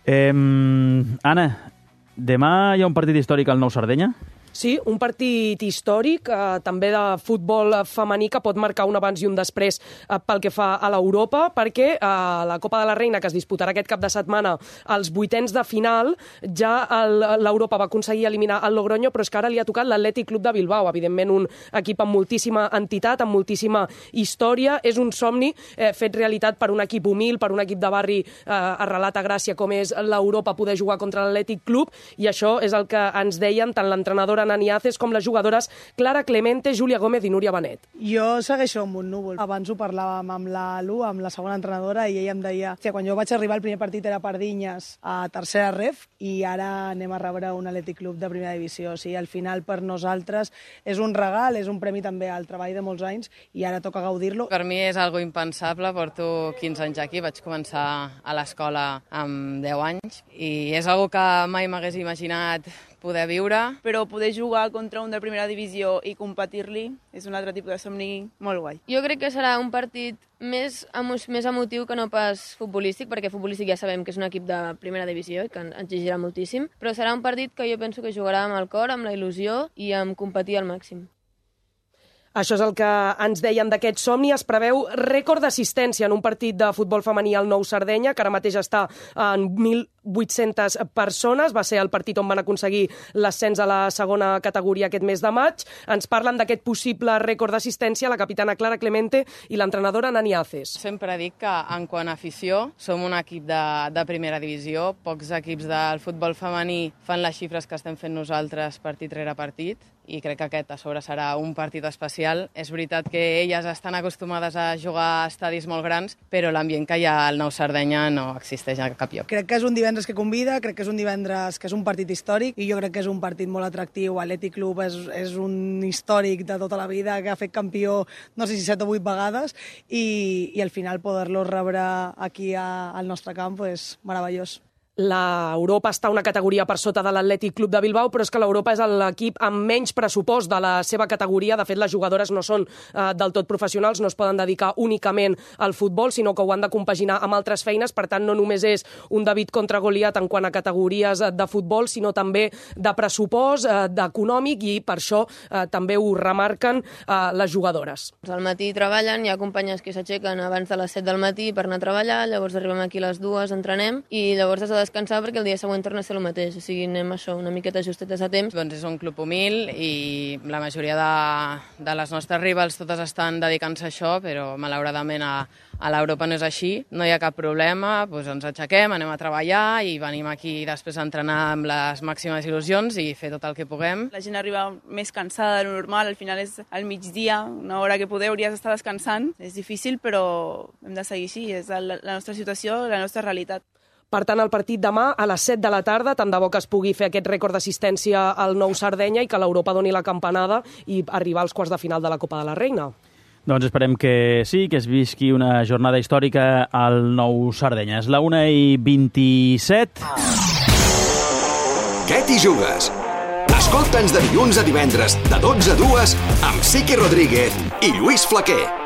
Anna, demà hi ha un partit històric al Nou Sardenya? Sí, un partit històric, també de futbol femení, que pot marcar un abans i un després pel que fa a l'Europa, perquè la Copa de la Reina, que es disputarà aquest cap de setmana, als vuitens de final, ja l'Europa va aconseguir eliminar el Logroño, però és que ara li ha tocat l'Atlètic Club de Bilbao, evidentment un equip amb moltíssima entitat, amb moltíssima història. És un somni fet realitat per un equip humil, per un equip de barri arrelat a Gràcia, com és l'Europa, poder jugar contra l'Atlètic Club, i això és el que ens deien tant l'entrenadora Nani Aces com les jugadores Clara Clemente, Júlia Gómez i Núria Benet. Jo segueixo amb un núvol. Abans ho parlàvem amb la Lu, amb la segona entrenadora, i ella em deia que quan jo vaig arribar el primer partit era Pardinyes a tercera ref i ara anem a rebre un Atlètic Club de primera divisió. O sigui, al final per nosaltres és un regal, és un premi també al treball de molts anys i ara toca gaudir-lo. Per mi és algo impensable, porto 15 anys aquí, vaig començar a l'escola amb 10 anys i és algo que mai m'hagués imaginat poder viure. Però poder jugar contra un de primera divisió i competir-li és un altre tipus de somni molt guai. Jo crec que serà un partit més emotiu que no pas futbolístic, perquè futbolístic ja sabem que és un equip de primera divisió i que ens exigirà moltíssim, però serà un partit que jo penso que jugarà amb el cor, amb la il·lusió i amb competir al màxim. Això és el que ens deien d'aquest somni. Es preveu rècord d'assistència en un partit de futbol femení al Nou Sardenya, que ara mateix està en 1.800 persones. Va ser el partit on van aconseguir l'ascens a la segona categoria aquest mes de maig. Ens parlen d'aquest possible rècord d'assistència la capitana Clara Clemente i l'entrenadora Nani Aces. Sempre dic que, en quant a afició, som un equip de primera divisió. Pocs equips del futbol femení fan les xifres que estem fent nosaltres partit rere partit, i crec que aquest a sobre serà un partit especial. És veritat que elles estan acostumades a jugar a estadis molt grans, però l'ambient que hi ha al Nou Sardenya no existeix a cap lloc. Crec que és un divendres que convida, crec que és un divendres que és un partit històric i jo crec que és un partit molt atractiu. Atlètic Club és un històric de tota la vida que ha fet campió no sé si 7 o 8 vegades i al final poder-lo rebre aquí al nostre camp és meravellós. L'Europa està una categoria per sota de l'Atlètic Club de Bilbao, però és que l'Europa és l'equip amb menys pressupost de la seva categoria. De fet, les jugadores no són del tot professionals, no es poden dedicar únicament al futbol, sinó que ho han de compaginar amb altres feines. Per tant, no només és un David contra Goliat en quant a categories de futbol, sinó també de pressupost, d'econòmic, i per això també ho remarquen les jugadores. Al matí treballen, hi ha companyes que s'aixequen abans de les 7 del matí per anar a treballar, llavors arribem aquí a les 2, entrenem, i llavors has de descansar perquè el dia següent torna a ser el mateix. O sigui, anem això, una miqueta justetes a temps. Doncs és un club humil i la majoria de les nostres rivals totes estan dedicant-se a això, però malauradament a l'Europa no és així. No hi ha cap problema, doncs ens aixequem, anem a treballar i venim aquí després a entrenar amb les màximes il·lusions i fer tot el que puguem. La gent arriba més cansada de lo normal, al final és al migdia, una hora que poder hauries d'estar descansant. És difícil, però hem de seguir així, és la nostra situació, la nostra realitat. Per tant, el partit demà a les 7 de la tarda, tant de bo que es pugui fer aquest rècord d'assistència al Nou Sardenya i que l'Europa doni la campanada i arribar als quarts de final de la Copa de la Reina. Doncs esperem que sí, que es visqui una jornada històrica al Nou Sardenya. És la 1:27. Què t'hi jugues? Escolta'ns de dilluns a divendres, de 12 a 2, amb Siqui Rodríguez i Lluís Flaquer.